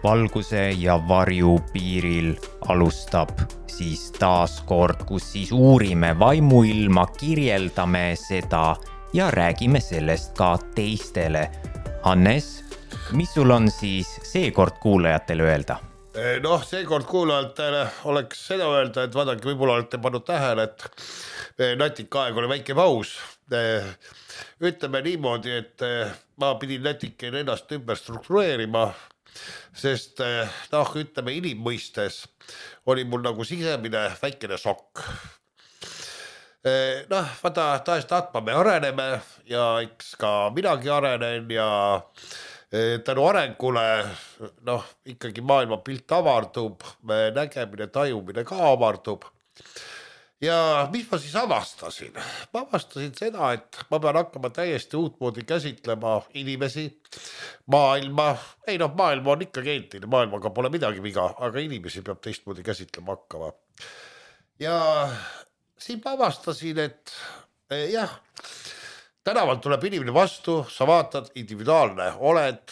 valguse ja varju piiril alustab siis taas kord, kus siis uurime vaimuilma, kirjeldame seda ja räägime sellest ka teistele. Hannes, mis sul on siis seekord kuulajatele öelda? Noh, seekord kuulajatele oleks seda öelda, et vaadake, võib-olla olete pannud tähele, et natika aeg oli väike paus. Ütleme niimoodi, et ma pidin natikene ennast ümber struktureerima, sest ütleme inimmõistes oli mul nagu sisemine väikene šokk. Vaata, tahtma me areneme ja eks ka minagi arenen ja tänu arengule ikkagi maailma pilt avardub, nägemine, tajumine ka avardub. Ja mis ma siis avastasin? Ma avastasin seda, et ma pean hakkama täiesti uutmoodi käsitlema inimesi, maailma. Maailma on ikka geentine, maailmaga pole midagi viga, aga inimesi peab teistmoodi käsitlema hakkama. Ja siin ma avastasin, et tänavalt tuleb inimene vastu, sa vaatad, individuaalne oled,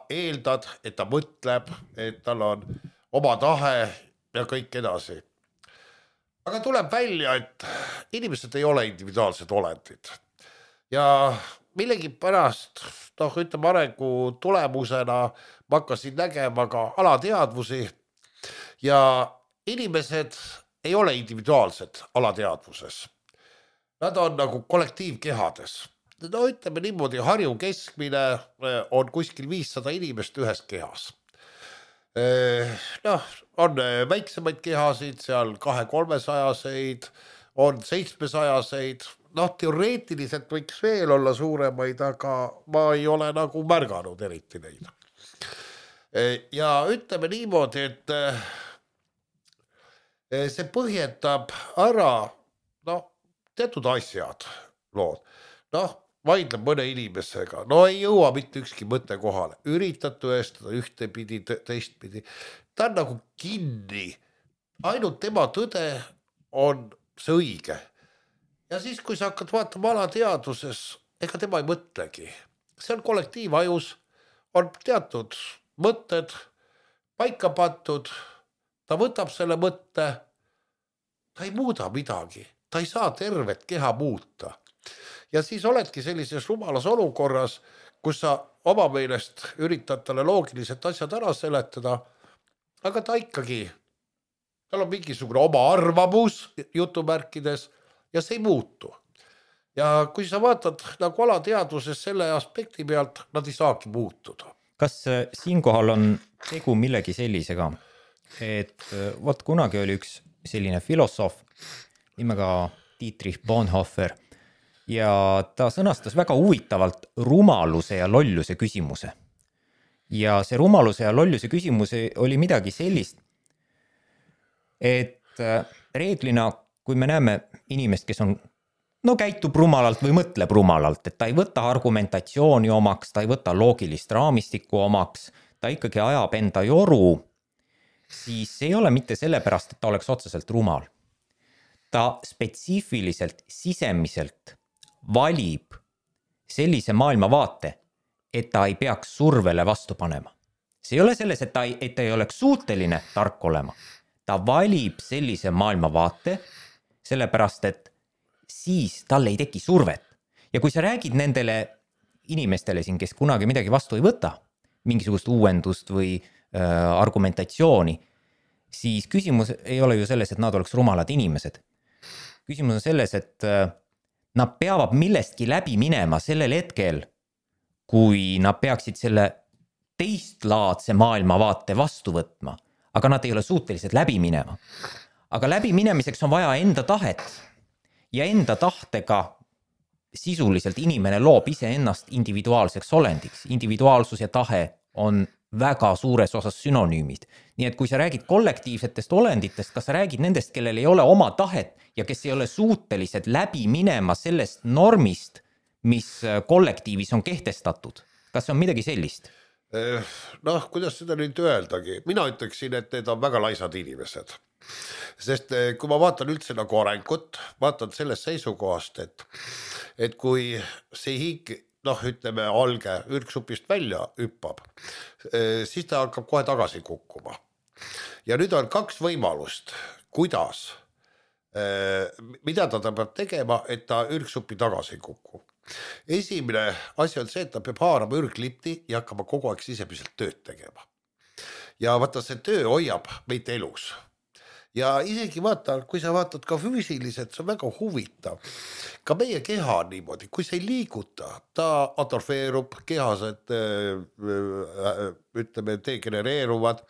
eeldad, et ta mõtleb, et tal on oma tahe ja kõik edasi. Aga tuleb välja, et inimesed ei ole individuaalsed olendid. Ja millegi pärast, ütleme arengu tulemusena, ma hakkasin nägema ka alateadvusi ja inimesed ei ole individuaalsed alateadvuses. Nad on nagu kollektiivkehades. Ütleme niimoodi, Harju keskmine on kuskil 500 inimest ühes kehas. On väiksemaid kehasid, seal 200-300-seid, on 700-seid, teoreetiliselt võiks veel olla suuremaid, aga ma ei ole nagu märganud eriti neid. Ja ütleme niimoodi, et see põhjendab ära teatud asjad lood. Vaidleb mõne inimesega, ei jõua mitte ükski mõte kohale, üritad tõestada ühtepidi, teistpidi, ta on nagu kinni, ainult tema tõde on see õige. Ja siis, kui sa hakkad vaatama alateadvuses, ega tema ei mõtlegi, see on kollektiivajus, on teatud mõtted paika pandud, ta võtab selle mõtte, ta ei muuda midagi, ta ei saa tervet keha muuta. Ja siis oledki sellises rumalas olukorras, kus sa oma meelest üritad talle loogiliselt asjad ära seletada, aga ta ikkagi, tal on mingisugune oma arvamus jutumärkides ja see ei muutu. Ja kui sa vaatad nagu alateadvuses selle aspekti pealt, nad ei saagi muutuda. Kas siinkohal on tegu millegi sellisega, et kunagi oli üks selline filosoof nimega Dietrich Bonhoeffer, ja ta sõnastas väga huvitavalt rumaluse ja lolluse küsimuse. Ja see rumaluse ja lolluse küsimus oli midagi sellist, et reeglina, kui me näeme inimest, kes on, käitub rumalalt või mõtleb rumalalt, et ta ei võta argumentatsiooni omaks, ta ei võta loogilist raamistikku omaks, ta ikkagi ajab enda joru, siis ei ole mitte sellepärast, et ta oleks otseselt rumal. Ta spetsiifiliselt, sisemiselt valib sellise maailmavaate, et ta ei peaks survele vastu panema. See ei ole selles, et ta ei oleks suuteline tark olema. Ta valib sellise maailmavaate, sellepärast, et siis tal ei teki survet. Ja kui sa räägid nendele inimestele siin, kes kunagi midagi vastu ei võta, mingisugust uuendust või argumentatsiooni, siis küsimus ei ole ju selles, et nad oleks rumalad inimesed. Küsimus on selles, et nad peavad millestki läbi minema sellel hetkel, kui nad peaksid selle teistlaadse maailmavaate vastu võtma, aga nad ei ole suutelised läbi minema. Aga läbi minemiseks on vaja enda tahet ja enda tahtega sisuliselt inimene loob ise ennast individuaalseks olendiks. Individuaalsus ja tahe on väga suures osas sünonüümid. Nii et kui sa räägid kollektiivsetest olenditest, kas sa räägid nendest, kellel ei ole oma tahet ja kes ei ole suutelised läbi minema sellest normist, mis kollektiivis on kehtestatud? Kas see on midagi sellist? Kuidas seda nüüd öeldagi? Mina ütleksin, et need on väga laisad inimesed. Sest kui ma vaatan üldse nagu arengut, vaatan sellest seisukohast, et kui see ütleme alge ürgsupist välja hüppab, siis ta hakkab kohe tagasi kukkuma. Ja nüüd on 2 võimalust, kuidas, mida ta peab tegema, et ta ürgsupi tagasi ei kuku. Esimene asi on see, et ta peab haarama ürglipti ja hakkama kogu aeg sisemiselt tööd tegema. Ja vaata, see töö hoiab meid elus. Ja isegi vaata, kui sa vaatad ka füüsiliselt, see on väga huvitav. Ka meie keha on niimoodi, kui sa ei liiguta, ta atrofeerub, kehased ütleme, degenereeruvad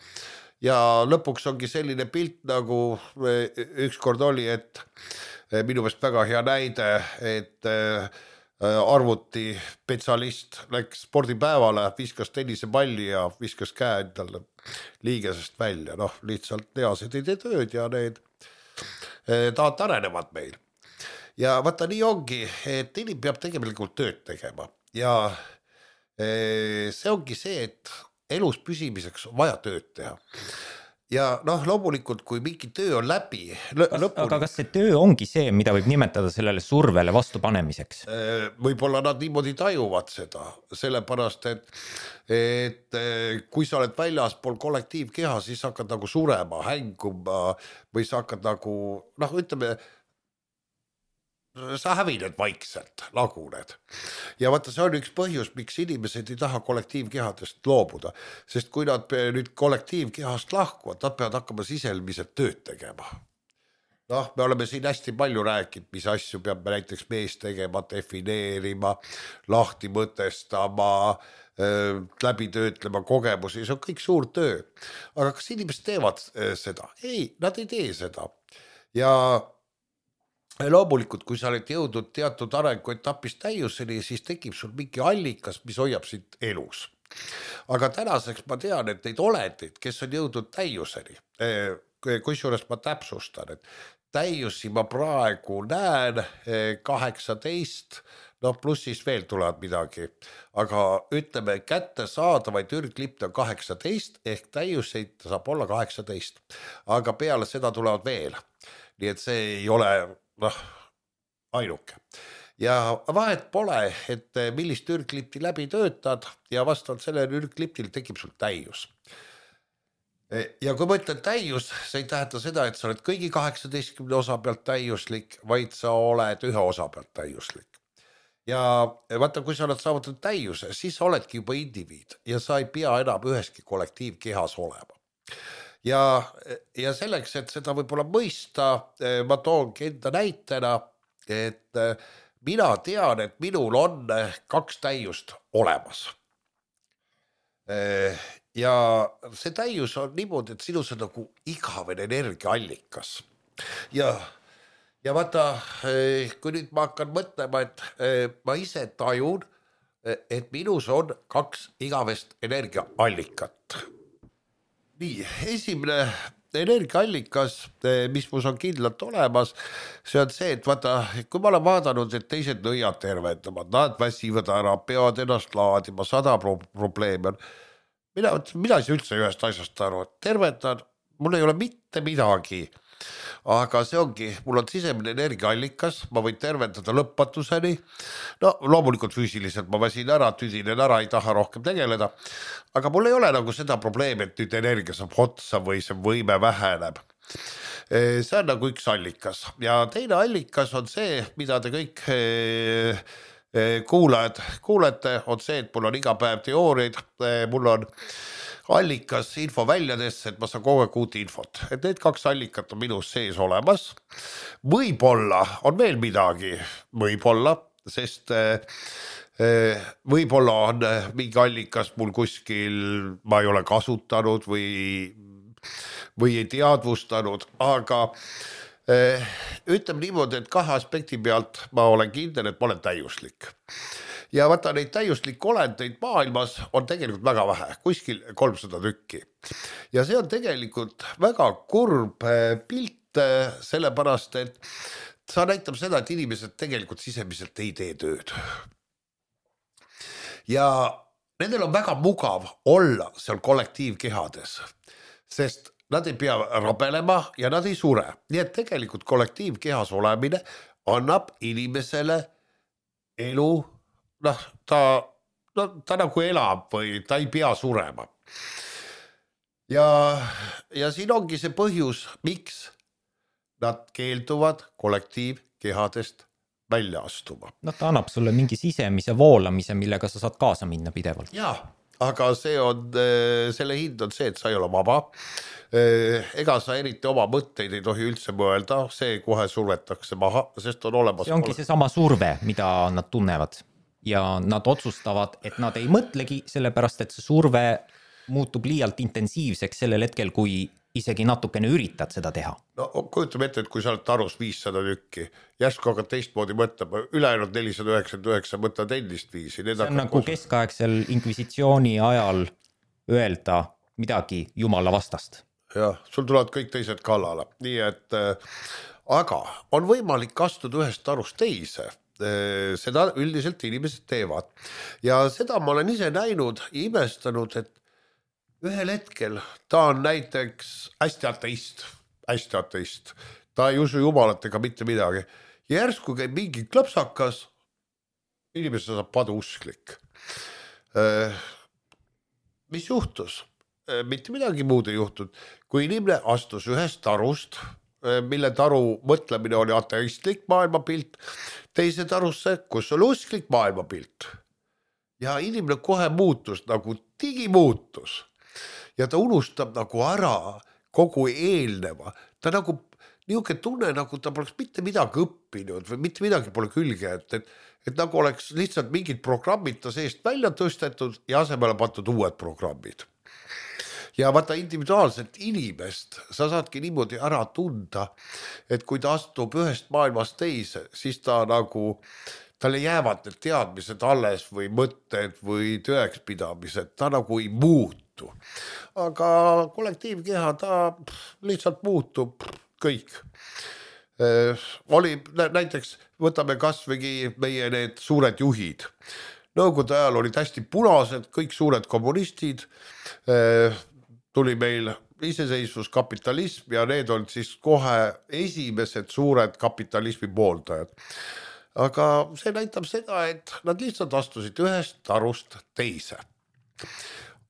ja lõpuks ongi selline pilt, nagu ükskord oli, et minu meelest väga hea näide, et arvuti spetsialist läks spordipäevale, viskas tennisepalli ja viskas käe endale liigesest välja, lihtsalt lihased ei tee tööd ja need tahad arenevad meil. Ja vaata, nii ongi, et inimene peab tegelikult tööd tegema ja see ongi see, et elus püsimiseks on vaja tööd teha. Ja loomulikult, kui mingi töö on läbi aga kas see töö ongi see, mida võib nimetada sellele survele vastu panemiseks? Võib-olla nad niimoodi tajuvad seda, sellepärast, et kui sa oled väljaspool kollektiivkeha, siis hakkad nagu surema, hänguma või sa hakkad nagu, ütleme, sa hävined vaikselt, laguned. Ja vaata, see on üks põhjus, miks inimesed ei taha kollektiivkehadest loobuda, sest kui nad nüüd kollektiivkehast lahkuvad, nad peavad hakkama sisemiselt tööd tegema. Me oleme siin hästi palju rääkinud, mis asju peab näiteks mees tegema, defineerima, lahti mõtestama, läbi töötlema kogemusi, see on kõik suur töö. Aga kas inimesed teevad seda? Ei, nad ei tee seda. Ja loomulikult, kui sa oled jõudnud teatud arenguetapist täiuseni, siis tekib sul mingi allikas, mis hoiab sind elus. Aga tänaseks ma tean, et neid olendid, kes on jõudnud täiuseni, kusjuures ma täpsustan, et täiusi ma praegu näen 18, pluss siis veel tulevad midagi, aga ütleme, kätte saadavaid ürglipte on 18, ehk täiuseid saab olla 18, aga peale seda tulevad veel. Nii et see ei ole ainuke. Ja vahet pole, et millist ürglipti läbi töötad ja vastavalt sellele ürgliptil tekib sul täius. Ja kui ma ütlen täius, see ei tähenda seda, et sa oled kõigi 18 osa pealt täiuslik, vaid sa oled ühe osa pealt täiuslik. Ja vaata, kui sa oled saavutanud täiuse, siis sa oledki juba indiviid ja sa ei pea enam üheski kollektiivkehas olema. Ja selleks, et seda võib-olla mõista, ma toongi enda näitena, et mina tean, et minul on 2 täiust olemas. Ja see täius on niimoodi, et sinus on nagu igavene energiaallikas. Ja vaata, kui nüüd ma hakkan mõtlema, et ma ise tajun, et minus on 2 igavest energiaallikat. Nii, esimene energiaallikas, mis mus on kindlalt olemas, see on see, et vaata, kui ma olen vaadanud, et teised nõiad tervendavad, nad väsivad ära, peavad ennast laadima, 100 probleemi on. Mina ei üldse ühest asjast aru, et tervendan, mul ei ole mitte midagi, aga see ongi, mul on sisemine energiaallikas, ma võin tervendada lõpmatuseni, loomulikult füüsiliselt ma väsin ära, tüdinen ära, ei taha rohkem tegeleda, aga mul ei ole nagu seda probleemi, et nüüd energia saab otsa või see võime väheneb. See on nagu üks allikas ja teine allikas on see, mida te kõik kuulete, on see, et mul on iga päev teooriaid, mul on allikas info väljadesse, et ma saan kogu aeg uut infot, et need 2 allikat on minus sees olemas. Võib-olla on veel midagi, võib-olla, sest võib-olla on mingi allikas mul kuskil, ma ei ole kasutanud või ei teadvustanud, aga ütleme niimoodi, et 2 aspekti pealt ma olen kindel, et ma olen täiuslik. Ja vaata, neid täiuslik olendeid maailmas on tegelikult väga vähe, kuskil 300 tükki. Ja see on tegelikult väga kurb pilt, sellepärast, et sa näitab seda, et inimesed tegelikult sisemiselt ei tee tööd. Ja nendel on väga mugav olla seal kollektiivkehades, sest nad ei pea rabelema ja nad ei sure. Nii et tegelikult kollektiivkehas olemine annab inimesele elu noh, ta nagu elab või ta ei pea surema. Ja siin ongi see põhjus, miks nad keelduvad kollektiivkehadest välja astuma. No ta annab sulle mingi sisemise voolamise, millega sa saad kaasa minna pidevalt. Jaa, aga selle hind on see, et sa ei ole vaba. Ega sa eriti oma mõtteid ei tohi üldse mõelda, see kohe survetakse maha, sest on olemas. See ongi seesama surve, mida nad tunnevad ja nad otsustavad, et nad ei mõtlegi, sellepärast et see surve muutub liialt intensiivseks sellel hetkel, kui isegi natukene üritad seda teha. No kujutame ette, et kui sa oled tarus 500 tükki, järsku hakkad teistmoodi mõtlema, ülejäänud 499 mõtled endist viisi. See on nagu keskaegsel inkvisitsiooni ajal öelda midagi jumala vastast. Jah, sul tulevad kõik teised kallale. Nii et, aga on võimalik astuda ühest tarust teise. Seda üldiselt inimesed teevad. Ja seda ma olen ise näinud ja imestanud, et ühel hetkel ta on näiteks hästi ateist. Ta ei usu jumalat ega mitte midagi. Ja järsku käib mingi klõpsakas, inimese saab paduusklik. Mis juhtus? Mitte midagi muud ei juhtud, kui inimene astus ühest tarust, mille taru mõtlemine oli ateistlik maailmapilt, teise tarusse, kus oli usklik maailmapilt. Ja inimene kohe muutus, nagu digimuutus. Ja ta unustab nagu ära kogu eelneva. Ta nagu niuke tunne, nagu ta poleks mitte midagi õppinud või mitte midagi pole külge, et nagu oleks lihtsalt mingid programmid ta seest välja tõstetud ja asemele pandud uued programmid. Ja vaata individuaalselt inimest, sa saadki niimoodi ära tunda, et kui ta astub ühest maailmast teise, siis ta nagu, talle jäävad need teadmised alles või mõtted või tõekspidamised, ta nagu ei muutu. Aga kollektiivkeha, ta lihtsalt muutub kõik. Oli näiteks, võtame kasvõi meie need suured juhid. Nõukogude ajal olid hästi punased, kõik suured kommunistid, tuli meil iseseisvus, kapitalism ja need on siis kohe esimesed suured kapitalismi pooldajad. Aga see näitab seda, et nad lihtsalt astusid ühest tarust teise.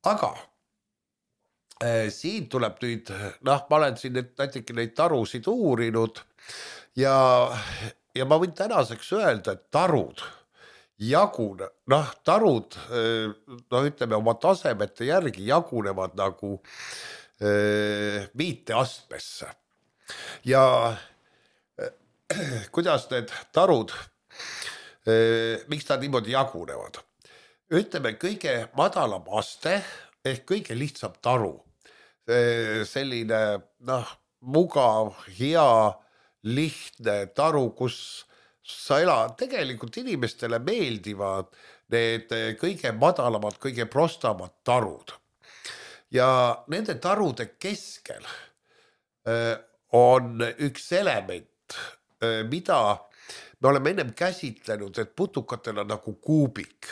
Aga siin tuleb nüüd, ma olen siin näiteks neid tarusid uurinud ja ma võin tänaseks öelda, et tarud tarud, ütleme oma tasemete järgi jagunevad nagu 5 astmesse. Ja kuidas need tarud, miks nad niimoodi jagunevad? Ütleme, kõige madalam aste ehk kõige lihtsam taru. Selline mugav, hea, lihtne taru, kus sa elad, tegelikult inimestele meeldivad need kõige madalamad, kõige prostamad tarud. Ja nende tarude keskel on üks element, mida me oleme ennem käsitlenud, et putukatel on nagu kuubik.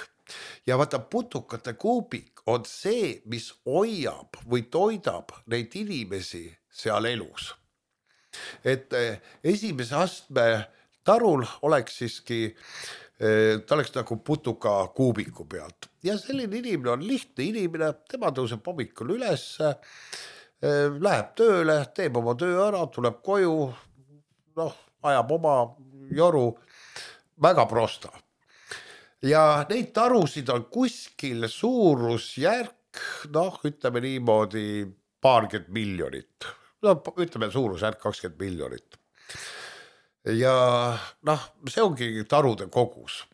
Ja vaata, putukate kuubik on see, mis hoiab või toidab neid inimesi seal elus. Et esimese astme tarul oleks siiski, ta oleks nagu putuka kuubiku pealt. Ja selline inimene on lihtne inimene, tema tõuseb hommikul üles, läheb tööle, teeb oma töö ära, tuleb koju, ajab oma joru, väga prosta. Ja neid tarusid on kuskil suurusjärk, ütleme niimoodi paarkümmend miljonit. Ütleme suurusjärk 20 miljonit. Ja see ongi tarude kogus.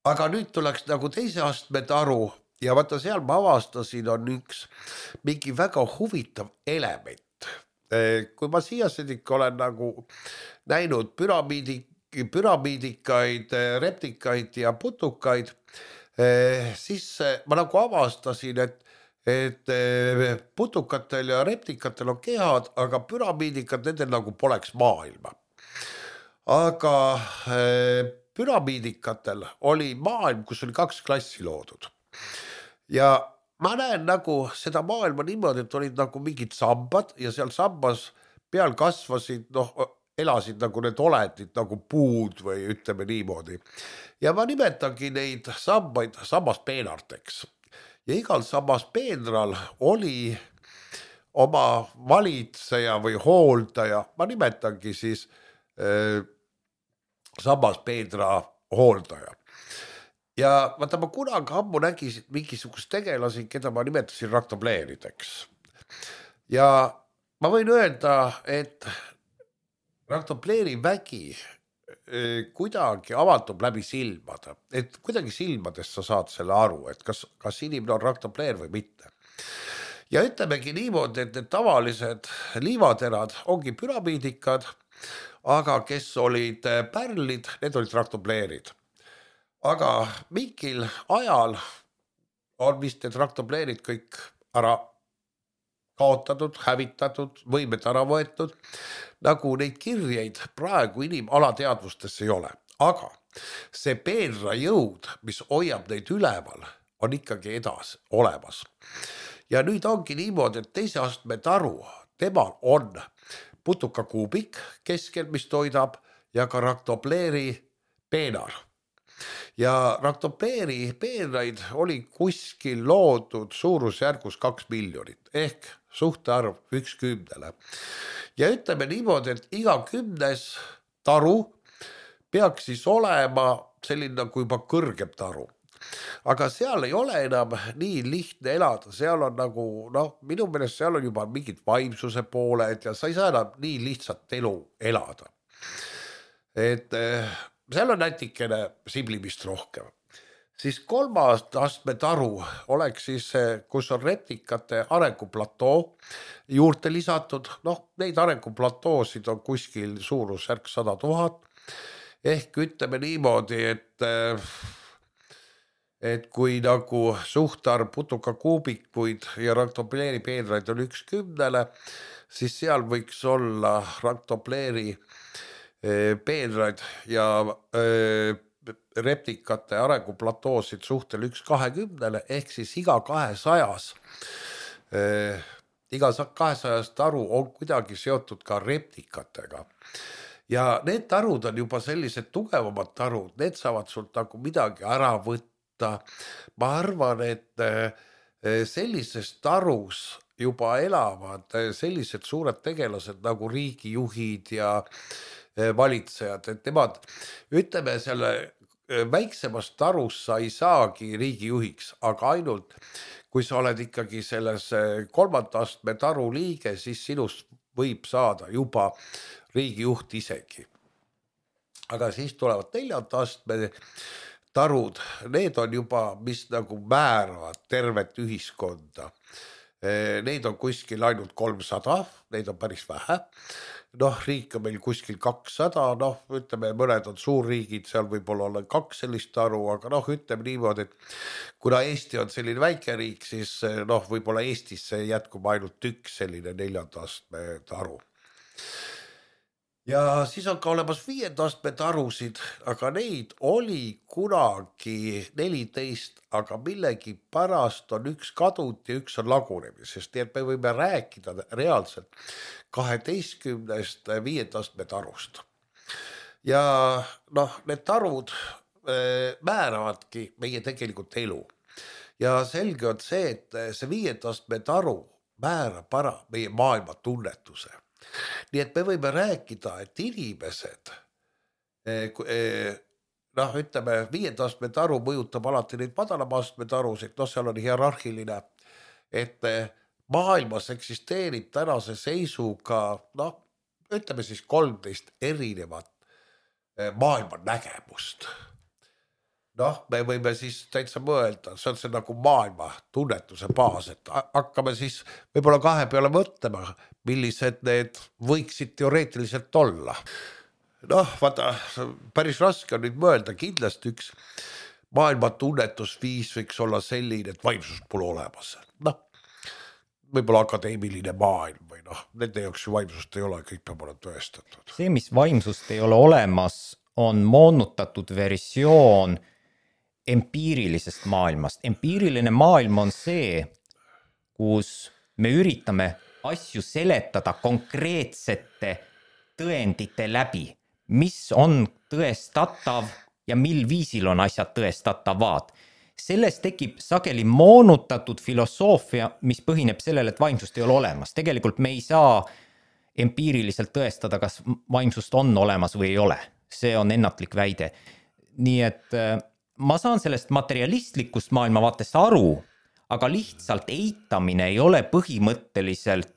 Aga nüüd tuleks nagu teise astme taru ja vaata seal ma avastasin on üks mingi väga huvitav element. Kui ma siiasedik olen nagu näinud püramiidikaid, reptikaid ja putukaid, siis ma nagu avastasin, et putukatel ja reptikatel on kehad, aga püramiidikad nendel nagu poleks maailma. Aga püramiidikatel oli maailm, kus oli 2 klassi loodud. Ja ma näen nagu seda maailma niimoodi, et olid nagu mingid sambad ja seal sambas peal kasvasid elasid nagu need olendid nagu puud või ütleme niimoodi. Ja ma nimetangi neid sambaid sammaspeenarteks. Ja igal sammaspeenral oli oma valitseja või hooldaja, ma nimetangi siis sammaspeenra hooldaja. Ja vaata, ma kunagi ammu nägisin mingisugust tegelasi, keda ma nimetasin raktopleerideks. Ja ma võin öelda, et raktopleeri vägi kuidagi avaldub läbi silmade, et kuidagi silmadest sa saad selle aru, et kas inimene on raktopleer või mitte. Ja ütlemegi niimoodi, et need tavalised liivaterad ongi püramiidikad, aga kes olid pärlid, need olid raktopleerid. Aga mingil ajal on vist need raktopleerid kõik ära kaotatud, hävitatud, võimed ära võetud, nagu neid kirjeid praegu inimalateadvustes ei ole. Aga see peenra jõud, mis hoiab neid üleval, on ikkagi edas olemas. Ja nüüd ongi niimoodi, et teise astme taru, temal on putukakuubik keskel, mis toidab, ja ka raktopleeri peenar. Ja raktopleeri peenraid oli kuskil loodud suurusjärgus 2 miljonit ehk suhtarv 1/10. Ja ütleme niimoodi, et iga 10. taru peaks siis olema selline nagu juba kõrgem taru. Aga seal ei ole enam nii lihtne elada, seal on nagu, minu meelest seal on juba mingid vaimsuse pooled ja sa ei saa enam nii lihtsalt elu elada. Et seal on nätikene siblimist rohkem. Siis 3. astme taru oleks siis, kus on reptikate arenguplatoo juurde lisatud. Neid arenguplatoosid on kuskil suurusjärk 100 000. Ehk ütleme niimoodi, et kui nagu suhtarv putukakuubikuid ja raktopleeri peenraid on 1/10, siis seal võiks olla raktopleeri peenraid ja reptikate arenguplatoosid suhtel 1/20 ehk siis iga 200 taru on kuidagi seotud ka reptikatega. Ja need tarud on juba sellised tugevamad tarud, need saavad sult nagu midagi ära võtta. Ma arvan, et sellises tarus juba elavad sellised suured tegelased nagu riigijuhid ja valitsejad, et nemad, ütleme selle väiksemast tarus sa ei saagi riigijuhiks, aga ainult kui sa oled ikkagi selles 3. astme taru liige, siis sinust võib saada juba riigijuht isegi. Aga siis tulevad 4. astme tarud, need on juba, mis nagu määravad tervet ühiskonda. Neid on kuskil ainult 300, neid on päris vähe. Riik on meil kuskil 200, ütleme, mõned on suurriigid, seal võib-olla olla 2 sellist taru, aga ütleme niimoodi, et kuna Eesti on selline väike riik, siis võib-olla Eestisse jätkub ainult 1 selline 4. astme taru. Ja siis on ka olemas 5. astme tarusid, aga neid oli kunagi 14, aga millegi pärast on 1 kadunud ja 1 on lagunemisest, nii et me võime rääkida reaalselt 12 5. astme tarust. Ja need tarud määravadki meie tegelikult elu. Ja selge on see, et see 5. astme taru määrab ära meie maailma tunnetuse. Nii et me võime rääkida, et inimesed, ütleme, 5. astme taru mõjutab alati neid madalama astme tarusid, seal on hierarhiline, et maailmas eksisteerib tänase seisuga, ütleme siis 13 erinevat maailma nägemust. Me võime siis täitsa mõelda, see on see nagu maailma tunnetuse baas, et hakkame siis võib-olla 2 peale mõtlema, millised need võiksid teoreetiliselt olla. Vaata, päris raske on nüüd mõelda, kindlasti üks maailma tunnetusviis võiks olla selline, et vaimsust pole olemas. Võib-olla akadeemiline maailm või nende jaoks ju vaimsust ei ole, kõik peab olema tõestatud. See, mis vaimsust ei ole olemas, on moonutatud versioon empiirilisest maailmast. Empiiriline maailm on see, kus me üritame asju seletada konkreetsete tõendite läbi, mis on tõestatav ja mil viisil on asjad tõestatavad. Sellest tekib sageli moonutatud filosoofia, mis põhineb sellele, et vaimsust ei ole olemas. Tegelikult me ei saa empiiriliselt tõestada, kas vaimsust on olemas või ei ole. See on ennatlik väide. Nii et ma saan sellest materialistlikust maailmavaatest aru, aga lihtsalt eitamine ei ole põhimõtteliselt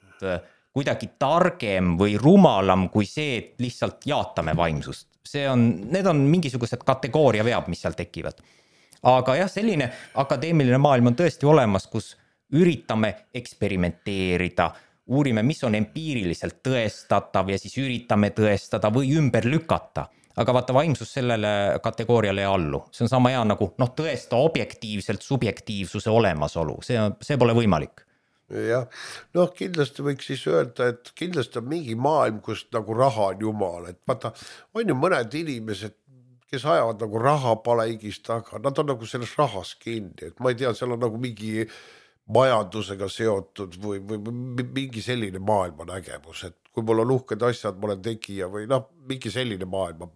kuidagi targem või rumalam kui see, et lihtsalt jaatame vaimsust. Need on mingisugused kategooria veab, mis seal tekivad. Aga jah, selline akadeemiline maailm on tõesti olemas, kus üritame eksperimenteerida, uurime, mis on empiiriliselt tõestatav ja siis üritame tõestada või ümber lükata. Aga vaata, vaimsus sellele kategooriale ei allu. See on sama hea nagu tõesta objektiivselt subjektiivsuse olemasolu. See pole võimalik. Jah, kindlasti võiks siis öelda, et kindlasti on mingi maailm, kus nagu raha on jumal. Et vaata, on ju mõned inimesed, kes ajavad nagu raha paleigist taga, nad on nagu selles rahas kinni, et ma ei tea, seal on nagu mingi majandusega seotud või mingi selline maailma nägemus, et kui mul on uhked asjad, ma olen tegija või mingi selline maailma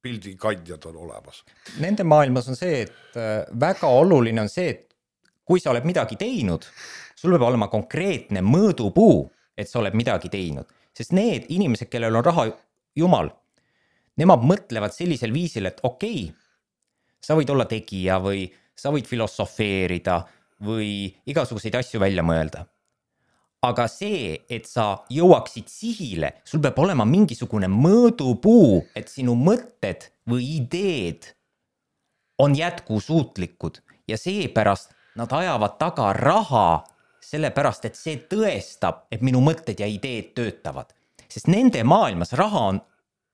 pildikandjad on olemas. Nende maailmas on see, et väga oluline on see, et kui sa oled midagi teinud, sul peab olema konkreetne mõõdupuu, et sa oled midagi teinud, sest need inimesed, kellel on raha jumal, nemad mõtlevad sellisel viisil, et okei, sa võid olla tegija või sa võid filosofeerida või igasuguseid asju välja mõelda. Aga see, et sa jõuaksid sihile, sul peab olema mingisugune mõõdupuu, et sinu mõtted või ideed on jätkusuutlikud ja seepärast nad ajavad taga raha, sellepärast, et see tõestab, et minu mõtted ja ideed töötavad. Sest nende maailmas raha on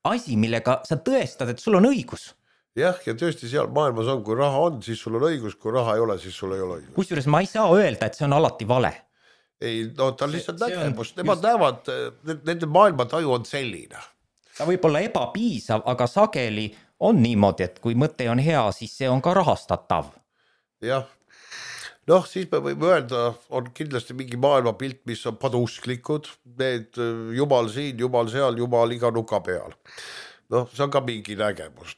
asi, millega sa tõestad, et sul on õigus. Jah, ja tõesti seal maailmas on, kui raha on, siis sul on õigus, kui raha ei ole, siis sul ei ole õigus. Kusjuures ma ei saa öelda, et see on alati vale. Ei, ta on lihtsalt nägemus, nemad näevad, nende maailmataju on selline. Ta võib olla ebapiisav, aga sageli on niimoodi, et kui mõte on hea, siis see on ka rahastatav. Jah, siis me võime öelda, on kindlasti mingi maailmapilt, mis on padusklikud, need jumal siin, jumal seal, jumal iga nuka peal. See on ka mingi nägemus,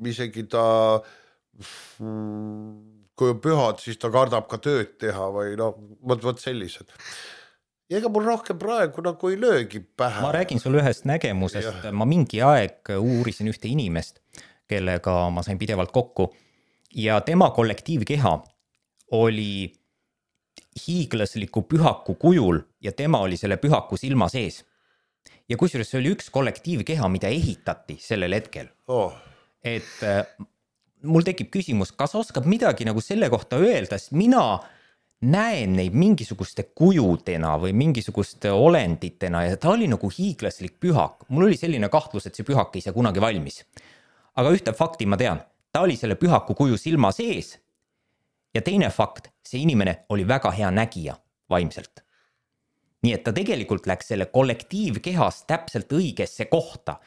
isegi ta, kui on pühad, siis ta kardab ka tööd teha või võt sellised. Ja ega mul rohkem praegu nagu ei löögi pähe. Ma räägin sulle ühest nägemusest, ma mingi aeg uurisin ühte inimest, kellega ma sain pidevalt kokku ja tema kollektiivkeha oli hiiglasliku pühaku kujul ja tema oli selle pühaku silma sees. Ja kusjuures see oli üks kollektiivkeha, mida ehitati sellel hetkel. Et mul tekib küsimus, kas oskab midagi nagu selle kohta öelda, sest mina näen neid mingisuguste kujudena või mingisuguste olenditena ja ta oli nagu hiiglaslik pühak. Mul oli selline kahtlus, et see pühak ei saa kunagi valmis. Aga ühte fakti ma tean, ta oli selle pühaku kuju silma sees. Ja teine fakt, see inimene oli väga hea nägija vaimselt. Nii et ta tegelikult läks selle kollektiivkehas täpselt õigesse kohta.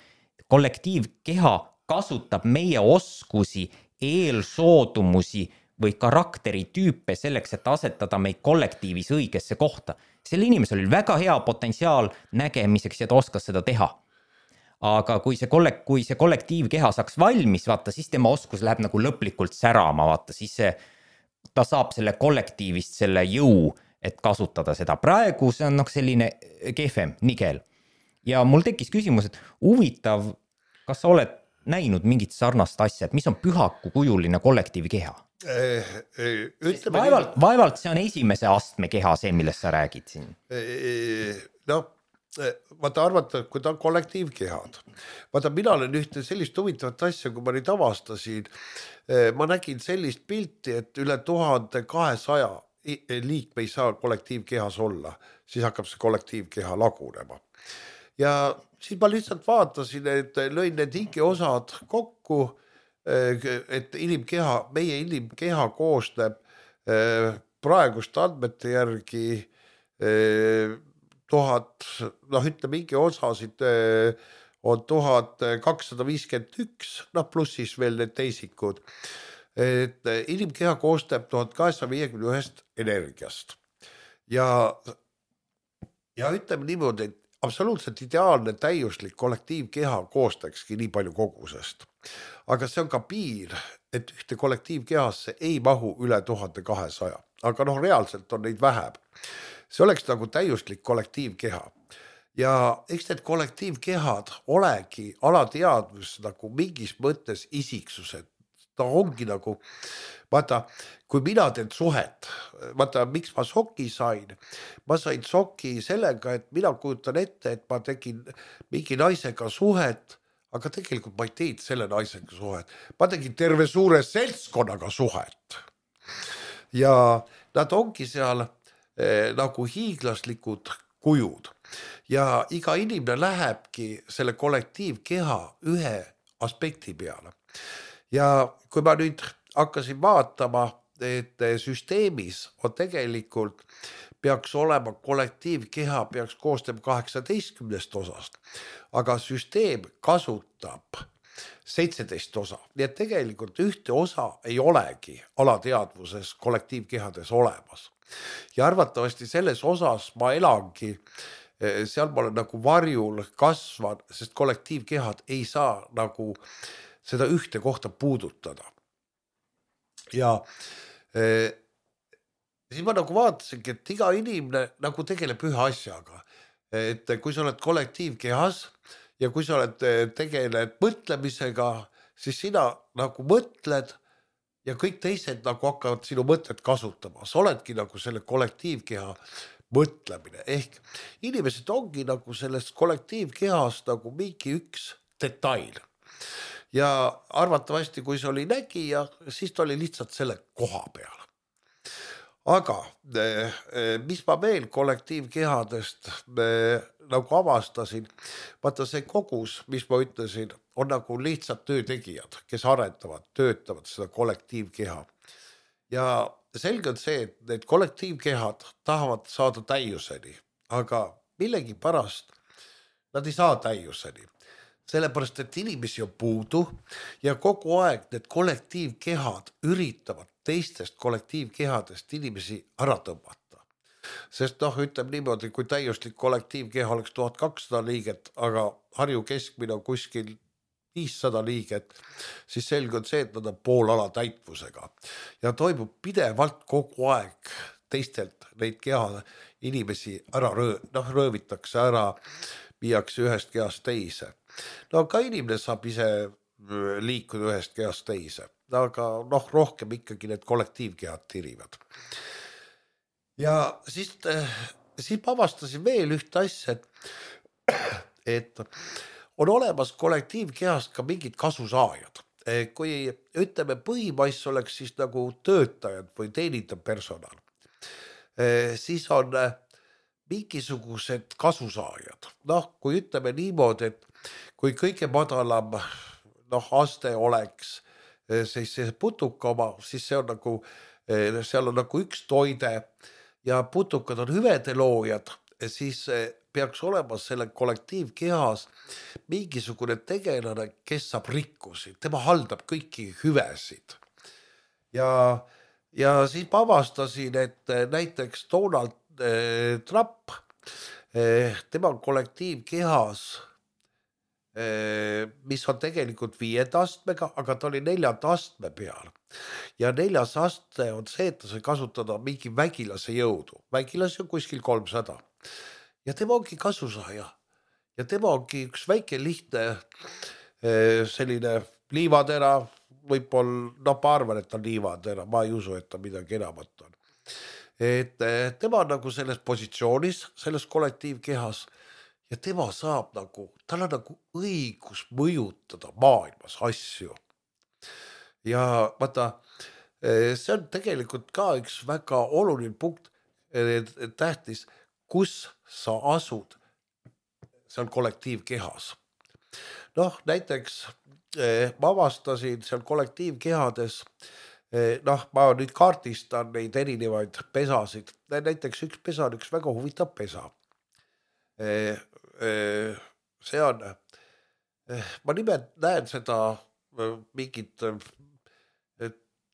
Kollektiivkeha kasutab meie oskusi, eelsoodumusi või karakteritüüpe selleks, et asetada meid kollektiivis õigesse kohta. Selle inimesel oli väga hea potentsiaal nägemiseks ja ta oskas seda teha. Aga kui see kollektiivkeha saaks valmis, vaata, siis tema oskus läheb nagu lõplikult särama, vaata, siis ta saab selle kollektiivist selle jõu, et kasutada seda. Praegu see on selline kehvem, nigel. Ja mul tekkis küsimus, et huvitav, kas sa oled näinud mingit sarnast asja, et mis on pühaku kujuline kollektiivkeha? Vaevalt see on esimese astme keha, see, millest sa räägid siin. Vaata arvata, kui ta on kollektiivkehad. Vaata, mina olen ühte sellist huvitavat asja, kui ma nüüd avastasin, ma nägin sellist pilti, et üle 1200 liikme ei saa kollektiivkehas olla, siis hakkab see kollektiivkeha lagunema. Ja siis ma lihtsalt vaatasin, et lõin need hingeosad kokku, et meie inimkeha koosneb praeguste andmete järgi 1000, mingi osasid on 1251, pluss siis veel need teisikud. Et inimkeha koostab 1851 energiast. Ja ütleme niimoodi, et absoluutselt ideaalne täiuslik kollektiivkeha koostakski nii palju kogusest. Aga see on ka piir, et ühte kollektiivkehasse ei mahu üle 1200. Aga reaalselt on neid vähem. See oleks nagu täiuslik kollektiivkeha. Ja eks need kollektiivkehad olegi alateadvus nagu mingis mõttes isiksused. Ta ongi nagu, vaata, kui mina teen suhet, vaata, miks ma soki sain? Ma sain soki sellega, et mina kujutan ette, et ma tegin mingi naisega suhet, aga tegelikult ma ei teinud selle naisega suhet. Ma tegin terve suure seltskonnaga suhet. Ja nad ongi seal nagu hiiglaslikud kujud. Ja iga inimene lähebki selle kollektiivkeha ühe aspekti peale. Ja kui ma nüüd hakkasin vaatama, et süsteemis on tegelikult peaks olema kollektiivkeha, peaks koostama 18 osast, aga süsteem kasutab 17 osa. Nii et tegelikult ühte osa ei olegi alateadvuses kollektiivkehades olemas. Ja arvatavasti selles osas ma elangi, seal ma olen nagu varjul kasvan, sest kollektiivkehad ei saa nagu seda ühte kohta puudutada. Ja siis ma nagu vaatasingi, et iga inimene nagu tegeleb ühe asjaga. Et kui sa oled kollektiivkehas ja kui sa oled tegeled mõtlemisega, siis sina nagu mõtled ja kõik teised nagu hakkavad sinu mõtted kasutama. Sa oledki nagu selle kollektiivkeha mõtlemine. Ehk inimesed ongi nagu sellest kollektiivkehast nagu mingi üks detail. Ja arvatavasti, kui see oli nägija, siis ta oli lihtsalt selle koha peal. Aga mis ma veel kollektiivkehadest nagu avastasin, vaata see kogus, mis ma ütlesin, on nagu lihtsalt töötegijad, kes arendavad, töötavad seda kollektiivkeha. Ja selge on see, et need kollektiivkehad tahavad saada täiuseni, aga millegi pärast nad ei saa täiuseni. Sellepärast, et inimesi on puudu ja kogu aeg need kollektiivkehad üritavad teistest kollektiivkehadest inimesi ära tõmmata. Sest ütleme niimoodi, kui täiuslik kollektiivkeha oleks 1200 liiget, aga Harju keskmine on kuskil 500 liiget, siis selge on see, et nad on poolala täitvusega. Ja toimub pidevalt kogu aeg teistelt neid keha inimesi ära röövitakse ära, viiakse ühest kehast teise. Ka inimene saab ise liikuda ühest kehast teise, aga rohkem ikkagi need kollektiivkehad tirivad. Ja siis ma avastasin veel ühte asja, et on olemas kollektiivkehast ka mingid kasusaajad. Kui ütleme põhimais oleks siis nagu töötajad või teenindav personal, siis on mingisugused kasusaajad. Kui ütleme niimoodi, et kui kõige madalam aste oleks siis see putuka oma, siis see on nagu, seal on nagu üks toide ja putukad on hüvede loojad, siis peaks olema selle kollektiivkehas mingisugune tegelane, kes saab rikkusi, tema haldab kõiki hüvesid. Ja siis ma avastasin, et näiteks Donald Trump, tema kollektiivkehas, mis on tegelikult 5. astmega, aga ta oli 4. astme peal. Ja 4. aste on see, et ta sai kasutada mingi vägilase jõudu. Vägilasi on kuskil 300. Ja tema ongi kasusaaja. Ja tema ongi üks väike lihtne selline liivatera, võib-olla, ma arvan, et ta on liivatera, ma ei usu, et ta midagi enamat on. Et tema on nagu selles positsioonis, selles kollektiivkehas ja tema saab nagu, tal on nagu õigus mõjutada maailmas asju. Ja vaata, see on tegelikult ka üks väga oluline punkt, tähtis, kus sa asud seal kollektiivkehas. Näiteks ma avastasin seal kollektiivkehades, ma nüüd kaardistan neid erinevaid pesasid. Näiteks üks pesa on üks väga huvitav pesa. See on, ma nimelt näen seda mingit,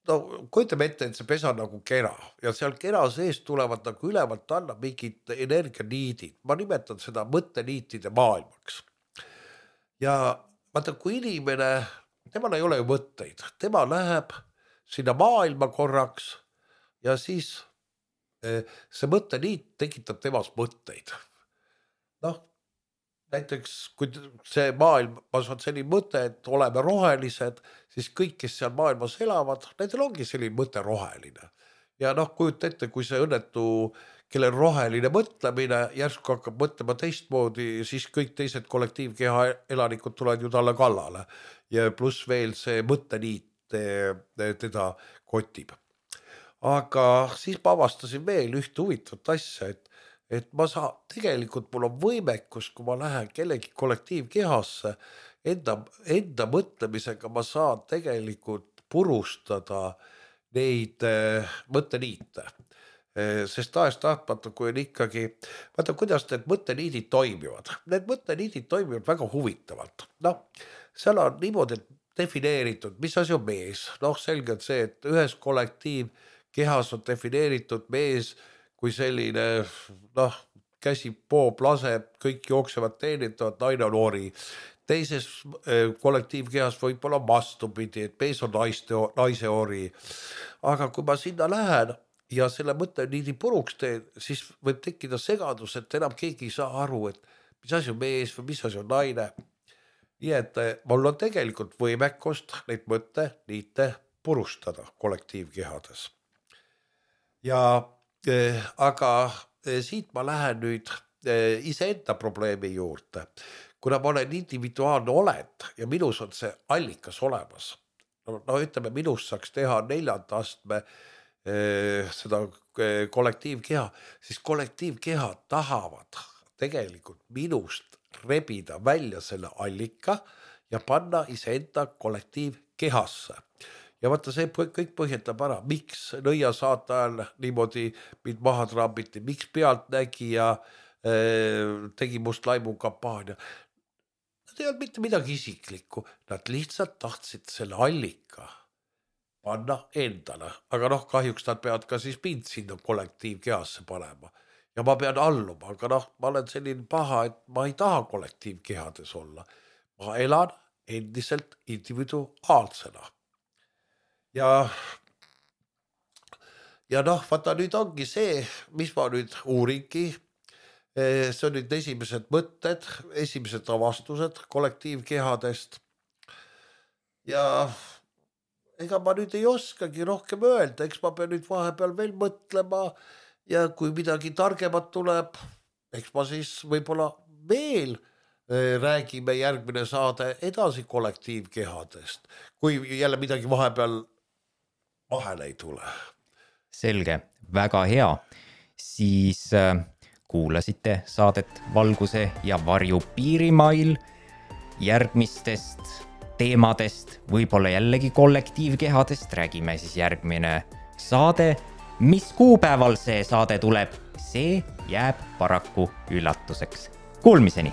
no kujutame ette, et see pesa nagu kera ja seal kera sees tulevad nagu ülevalt alla mingid energianiidid. Ma nimetan seda mõtteniitide maailmaks. Ja vaata, kui inimene, temal ei ole ju mõtteid, tema läheb sinna maailma korraks ja siis see mõtteniit tekitab temas mõtteid. Noh, näiteks kui see maailmas on selline mõte, et oleme rohelised, siis kõik, kes seal maailmas elavad, nendel ongi selline mõte roheline. Ja noh, kujuta ette, kui see õnnetu, kellel roheline mõtlemine, järsku hakkab mõtlema teistmoodi, siis kõik teised kollektiivkeha elanikud tulevad ju talle kallale. Ja pluss veel see mõtteniit teda kotib. Aga siis ma avastasin veel ühte huvitavat asja, et ma tegelikult mul on võimekus, kui ma lähen kellegi kollektiivkehasse, enda mõtlemisega ma saan tegelikult purustada neid mõtteniite. Sest tahes-tahtmata, kui on ikkagi, vaata kuidas need mõtteniidid toimivad. Need mõtteniidid toimivad väga huvitavalt. Noh, seal on niimoodi defineeritud, mis asi on mees. Noh, selge on see, et ühes kollektiivkehas on defineeritud mees kui selline, noh, käsi poob, laseb, kõik jooksevad teenitavad, naine on ori. Teises kollektiivkehas võib olla vastupidi, et mees on naise ori. Aga kui ma sinna lähen ja selle mõtteniidi puruks teen, siis võib tekkida segadus, et enam keegi ei saa aru, et mis asi on mees või mis asi on naine. Nii et mul on tegelikult võimekust neid mõtteniite purustada kollektiivkehades. Ja aga siit ma lähen nüüd iseenda probleemi juurde. Kuna ma olen individuaalne olend ja minus on see allikas olemas. No ütleme, minus saaks teha 4. astme seda kollektiivkeha, siis kollektiivkehad tahavad tegelikult minust rebida välja selle allika ja panna iseenda kollektiivkehasse. Ja vaata, see kõik põhjendab ära, miks nõia saate ajal niimoodi mind maha trambiti, miks pealtnägija tegi must laimu kampaania. Nad ei olnud mitte midagi isiklikku, nad lihtsalt tahtsid selle allika panna endale. Aga noh, kahjuks nad peavad ka siis mind sinna kollektiivkehasse panema. Ja ma pean alluma, aga noh, ma olen selline paha, et ma ei taha kollektiivkehades olla. Ma elan endiselt individuaalsena. Ja noh, vaata nüüd ongi see, mis ma nüüd uuringi, see on nüüd esimesed mõtted, esimesed avastused kollektiivkehadest. Ja ega ma nüüd ei oskagi rohkem öelda, eks ma pean nüüd vahepeal veel mõtlema ja kui midagi targemat tuleb, eks ma siis võib-olla veel räägime järgmine saade edasi kollektiivkehadest, kui jälle midagi vahepeal vahele ei tule. Selge, väga hea. Siis kuulasite saadet Valguse ja varju piirimail. Järgmistest teemadest, võib-olla jällegi kollektiivkehadest, räägime siis järgmine saade. Mis kuupäeval see saade tuleb, see jääb paraku üllatuseks. Kuulmiseni!